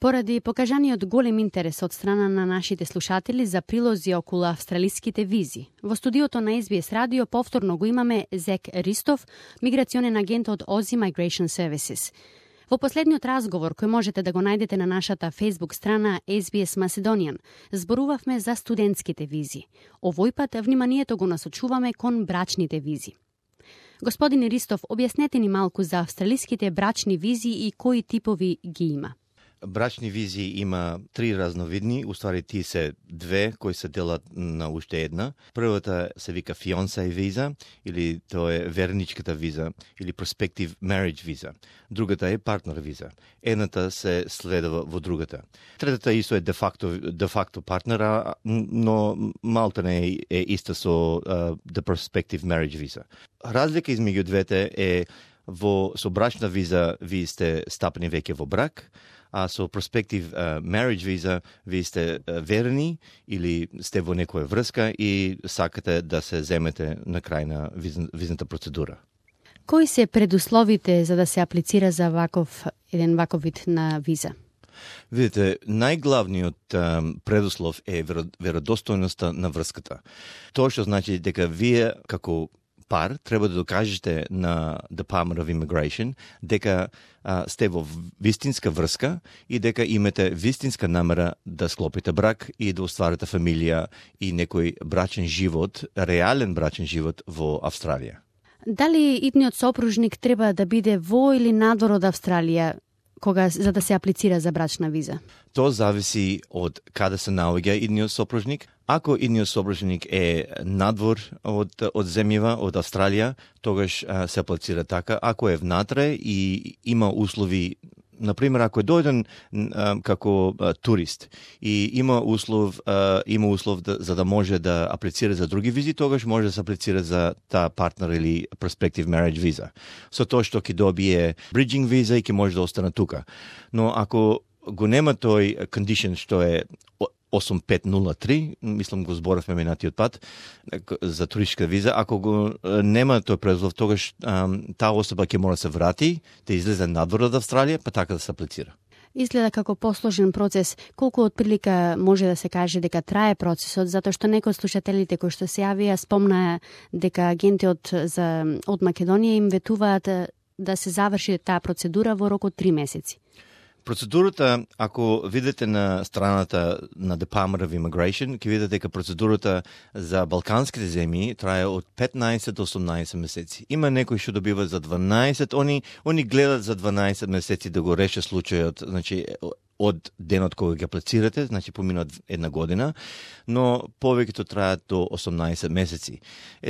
Поради покажаниот голем интерес од страна на нашите слушатели за прилози околу австралиските визи, во студиото на SBS радио повторно го имаме Зек Ристов, миграционен агент од Aussie Migration Services. Во последниот разговор, кој можете да го најдете на нашата Facebook страна SBS Macedonian, зборувавме за студентските визи. Овој пат вниманието го насочуваме кон брачните визи. Господин Ристов, објаснете ни малку за австралиските брачни визи и кои типови ги има. Брачни визи има три разновидни, уствари тие се две кои се делат на уште една. Првата се вика fiancé виза, или тоа е верничката виза, или prospective marriage виза. Другата е партнер виза. Едната се следува во другата. Третата исто е де факто партнера, но малку не е иста со the prospective marriage виза. Разлика измеѓу двете е со брачна виза ви сте стапени веќе во брак, а со prospective marriage visa ви сте верени или сте во некоја врска и сакате да се земете на крај на визната процедура. Кои се предусловите за да се аплицира за еден ваков вид на виза? Видите, најглавниот предуслов е веродостојноста на врската. Тоа што значи дека вие како пар треба да докажете на Department of Immigration дека сте во вистинска врска и дека имате вистинска намера да склопите брак и да остварите фамилија и некој брачен живот, реален брачен живот во Австралија. Дали идниот сопружник треба да биде во или надвор од Австралија за да се аплицира за брачна виза? Тоа зависи од каде се наоѓа идниот сопружник. Ако идниот сопружник е надвор од земјава, од Австралија, тогаш се аплицира така. Ако е внатре и има услови, например, ако е дојден како турист и има услов за да може да аплицира за други визи, тогаш може да се аплицира за таа партнер или prospective marriage виза. Со тоа што ќе добие bridging виза и ќе може да остане тука. Но ако го нема тој condition што е 8503, мислам го зборавме минатиот пат, за туристичка виза, ако го нема тој предуслов, тогаш таа особа ќе мора да се врати, да излезе надвор од Австралија, па така да се аплицира. Изгледа како посложен процес. Колку отприлика може да се каже дека трае процесот, затоа што некои од слушателите кои што се јавија спомнаа дека агенти од Македонија им ветуваат да се заврши таа процедура во рок од 3 месеци. Процедурата, ако видите на страната на Department of Immigration, ќе видите дека процедурата за балканските земји трае од 15 до 18 месеци. Има некои што добиваат за 12, они гледат за 12 месеци да го реше случајот, значи од денот кога ги аплицирате, значи поминат една година, но повеќето траат до 18 месеци.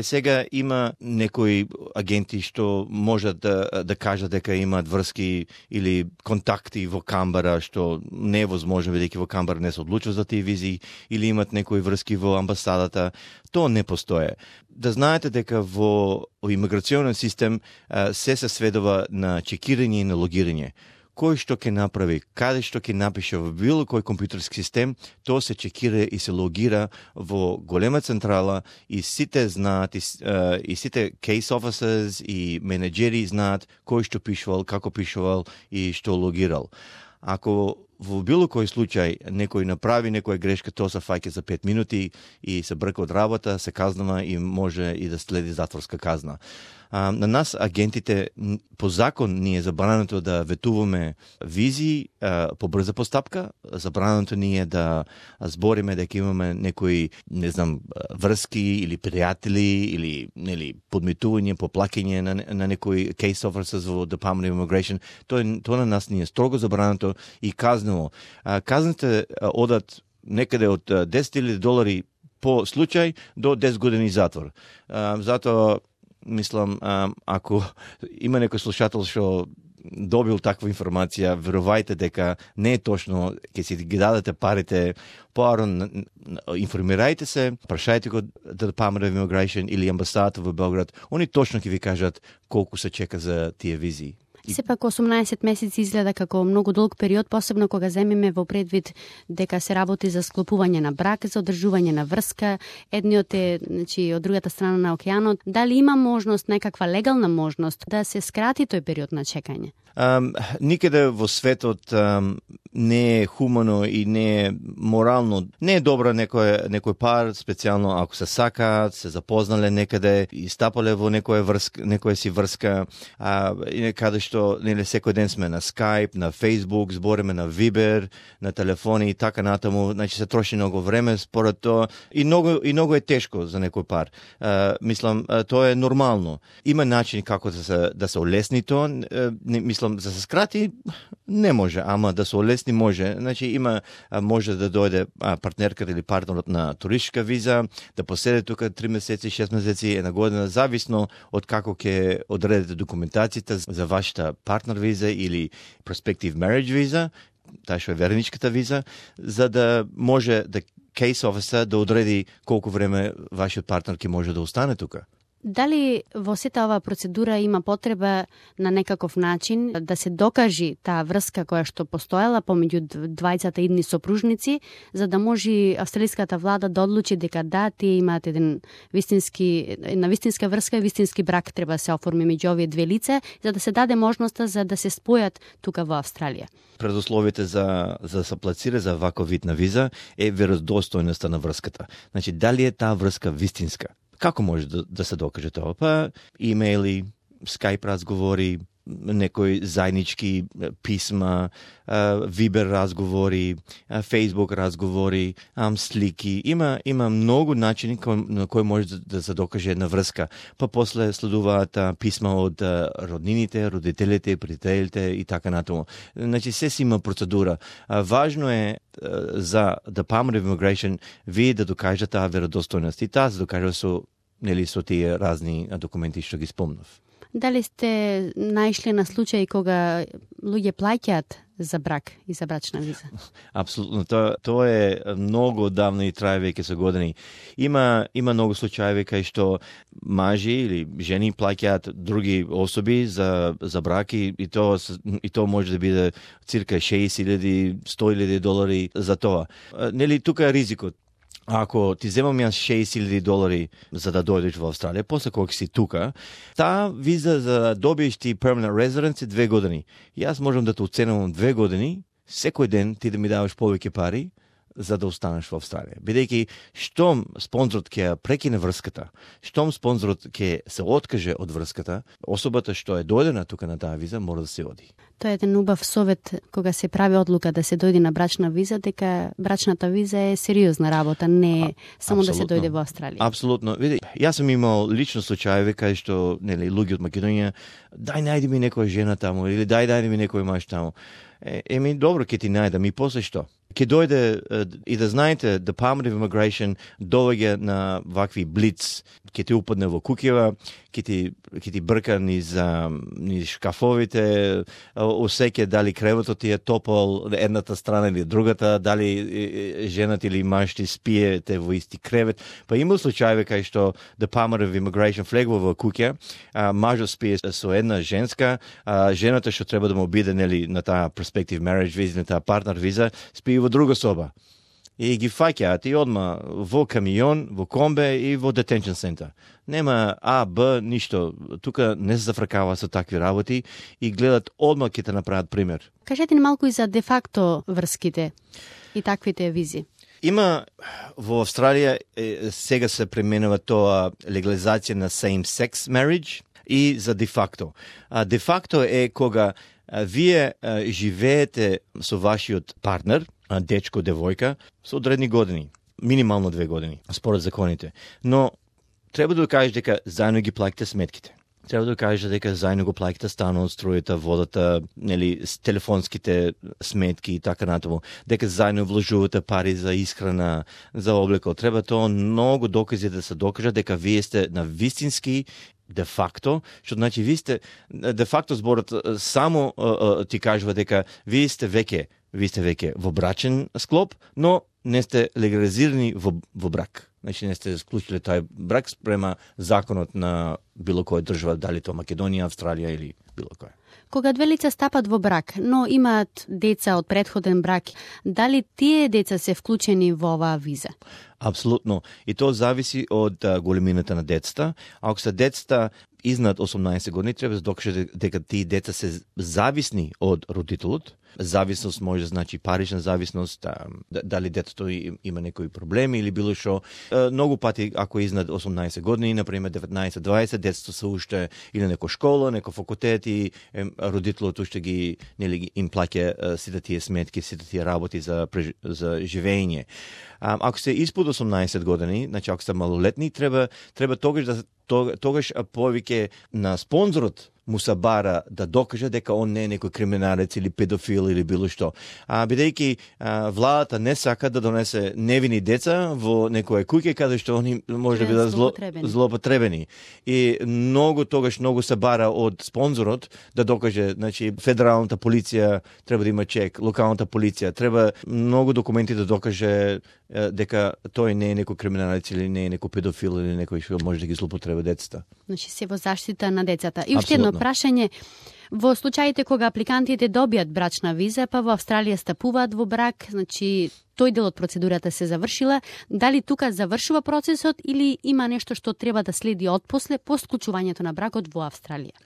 Сега има некои агенти што можат да кажат дека имаат врски или контакти во Камбара, што не е возможно, бидејќи во Камбара не се одлучува за тие визи, или имат некои врски во амбасадата. Тоа не постоje. Да знаете дека во имиграционен систем се сведува на чекирање и на логирање. Кој што ќе направи, каде што ќе напише во било кој компјутерски систем, тоа се чекира и се логира во голема централа и сите знаат, и сите case officers и менеджери знаат кој што пишувал, како пишувал и што логирал. Ако во било кој случај некој направи некоја грешка, тоа се фаќа за 5 минути и се брка од работа, се казнува и може и да следи затворска казна. На нас, агентите, по закон ни е забрането да ветуваме визи по брза постапка, забрането ни е да збориме дека имаме некои, не знам, врски или пријатели или подмитување, поплакање на некои case officers во Department of Immigration. Тоа на нас ни е строго забрането и казнено. Казните одат некаде од $10,000 по случај до 10 години затвор. Затоа мислам, ако има некој слушател што добил таква информација, верувајте дека не е точно, ќе си ги дадете парите, поарно информирајте се, прашајте го Department of Immigration или амбасадата во Белград, они точно ќе ви кажат колку се чека за тие визи. Сепак 18 месеци изгледа како многу долг период, посебно кога земеме во предвид дека се работи за склопување на брак, за одржување на врска, едниот е, значи, од другата страна на океанот. Дали има можност, некаква легална можност да се скрати тој период на чекање? Никаде во светот не е хумано и не е морално. Не е добро некој пар, специјално ако се сакаат, се запознале некаде и стапале во некоја си врска, и каде што нели секој ден сме на Skype, на Facebook, збориме на Viber, на телефони и така натаму, значи се троши многу време според тоа и многу е тешко за некој пар. Мислам, тоа е нормално. Има начин како да се олесни тоа, мислам, за се скрати не може, ама да се олесни може. Значи може да дојде партнерката или партнерот на туристичка виза, да поседе тука 3 месеци, 6 месеци, една година, зависно од како ќе одредите документацијата за вашата партнер виза или prospective marriage виза, таа што е верничката виза, за да може да case officer да одреди колку време вашиот партнер ќе може да остане тука. Дали во сета оваа процедура има потреба на некаков начин да се докажи таа врска која што постоела помеѓу двајцата идни сопружници, за да може австралиската влада да одлучи дека да, тие имаат една вистинска врска и вистински брак треба да се оформи меѓу овие две лица, за да се даде можноста за да се спојат тука во Австралија? Предусловите за да се аплицира за ваков вид на виза е веродостојноста на врската. Значи, дали е таа врска вистинска? Како може да се докаже тоа? Па имейли, Skype разговори, некои заеднички писма, Viber разговори, Facebook разговори, слики. Има многу начини на кои може да се докаже една врска. Па после следуваат писма од роднините, родителите, пријателите и така натаму. Значи се си има процедура. Важно е за Department of Immigration вие да докажете таа веродостојност. И таа се докажува со тие разни документи што ги спомнав. Дали сте наишли на случаи кога луѓе плаќаат за брак и за брачна виза? Апсолутно. Тоа е многу давно и трае веќе со години. Има многу случаи кај што мажи или жени плаќаат други особи за брак и тоа може да биде цирка 60,000, 100,000 долари за тоа. Нели тука е ризикот. Ако ти земам јас 60,000 долари за да дојдеш во Австралија, после кога си тука, таа виза за да добиеш ти permanent residence е 2 години. Јас можам да те оценувам 2 години, секој ден ти да ми даваш повеќе пари за да останеш во Австралија. Бидејќи штом спонзорот ќе прекине врската, штом спонзорот ќе се откаже од врската, особата што е дојдена тука на таа виза мора да се оди. Тоа е еден убав совет кога се прави одлука да се дојде на брачна виза, дека брачната виза е сериозна работа, не е само да се дојде во Австралија. Апсолутно. Види, јас сум имал лично случаи кај што нели луѓе од Македонија, најди ми некоја жена таму или најди ми некој маж таму. Добро, ќе ти најдам и после што? Ќе дојде и да знаете, Department of Immigration доаѓа на вакви блиц, ќе ти упадне во куќева, ќе ти брка низ шкафовите, осеќе дали креветот ти е топол едната страна или другата, дали жената или маж ти спиете во исти кревет. Па има случаи кај што Department of Immigration влегува во куќа, мажот спие со една женска, жената што треба да му биде нели на таа prospective marriage виза, на таа партнер виза, спие во друга соба. И ги фаќаат и одма во камион, во комбе и во detention center. Нема А, Б, ништо. Тука не се зафркава со такви работи и гледат одма ќе те направат пример. Кажете ни малку и за де-факто врските и таквите визи. Има во Австралија сега се применува тоа легализација на same-sex marriage и за де-факто. Де-факто е кога вие живеете со вашиот партнер, дечко, девојка, со одредни години, минимално 2 години, според законите. Но треба да докажеш дека заедно ги плаќате сметките. Треба да докажеш дека заедно го плаќате станот, струјата, водата, нели, телефонските сметки и така натаму. Дека заедно вложувате пари за исхрана, за облеко. Треба тоа многу докази да се докажа дека вие сте на вистински де-факто, што значи вие сте де-факто зборот само ти кажува дека вие сте веќе во брачен склоп, но не сте легализирани во брак. Значи не сте склучили тај брак спрема законот на било која држава, дали тоа Македонија, Австралија или било која. Кога две лица стапат во брак, но имаат деца од претходен брак, дали тие деца се вклучени во оваа виза? Апсолутно. И тоа зависи од големината на децата. Ако се децата изнад 18 години, треба да докаже дека тие деца се зависни од родителот. Зависност може да значи парична зависност, дали детето има некои проблеми или било што. Многу пати, ако изнад 18 години, например 19-20, детето се уште или на некоја школа, некој факултет и родителот уште ги им плаќа сите тие сметки, сите тие работи за живење. Ако се испод 18 години, значи ако се малолетни, треба тогаш повеќе на спонзорот му се бара да докаже дека он не е некој криминалец или педофил или било што. Бидејќи владата не сака да донесе невини деца во некоја куќа каде што они може да бидат злоупотребени. И многу се бара од спонзорот да докаже, значи федералната полиција треба да има чек, локалната полиција треба многу документи да докаже дека тој не е некој криминалец или не е некој педофил или некој што може да ги злоупотреби децата. Значи се во заштита на децата. И уште едно прашање, во случаите кога апликантите добијат брачна виза, па во Австралија стапуваат во брак, значи тој дел од процедурата се завршила, дали тука завршува процесот или има нешто што треба да следи отпосле по склучувањето на бракот во Австралија?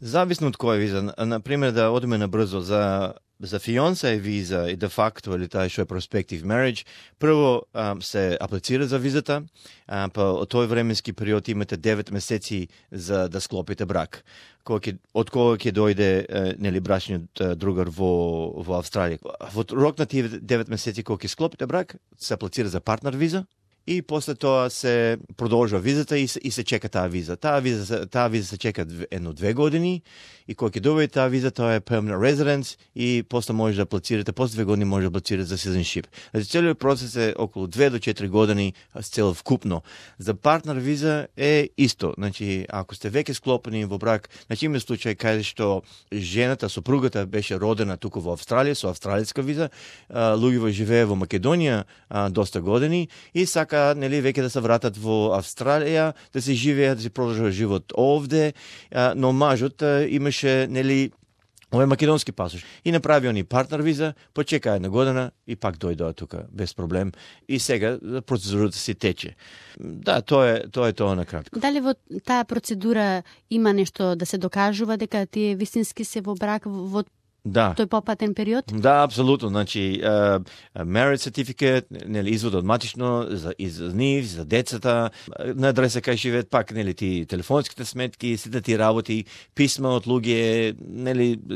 Зависно од која виза. Например, да одиме набрзо за фионсе виза и де факто или тај што е prospective marriage, прво се аплицира за визата, па од тој временски период имате 9 месеци за да склопите брак. Од кога ќе дојде брачниот другар во Австралија. Во рок на тие 9 месеци кога ќе склопите брак, се аплицира за партнер виза. И после тоа се продолжува визата и се чека таа виза. Таа виза се чека 1-2 години и кога ќе добие таа виза, тоа е permanent residence и после може да аплицирате, после 2 години може да аплицирате за citizenship. Значи целиот процес е околу 2 до 4 години цел вкупно. За партнер виза е исто. Значи ако сте веќе склопени во брак, значи има случај каде што жената, сопругата беше родена туку во Австралија со австралиска виза, луѓето живее во Македонија доста години и сака веќе да се вратат во Австралија, да се живеат, да се продолжува живот овде, но мажот имаше овој македонски пасош и направи они партнер виза, почека 1 година и пак дојдоа тука без проблем и сега процедурата си тече. Да, тоа е тоа на кратко. Дали во таа процедура има нешто да се докажува дека тие вистински се во брак во тој попатен период? Да, апсолутно. Значи, marriage certificate, извод од матично за нив, за децата, на адреса кај живеат, пак ти телефонските сметки, сите ти работи, писма од луѓе,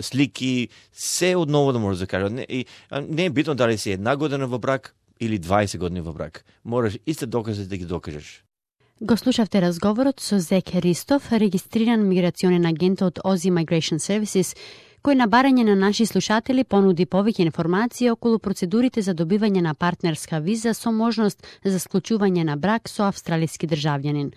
слики, се одново да може да кажа. Не е битно дали си 1 година во брак или 20 години во брак. Мораш исто докази да ги докажеш. Го слушавте разговорот со Зек Ристов, регистриран миграционен агент од Aussie Migration Services, кој на барање на наши слушатели понуди повеќе информации околу процедурите за добивање на партнерска виза со можност за склучување на брак со австралиски државјанин.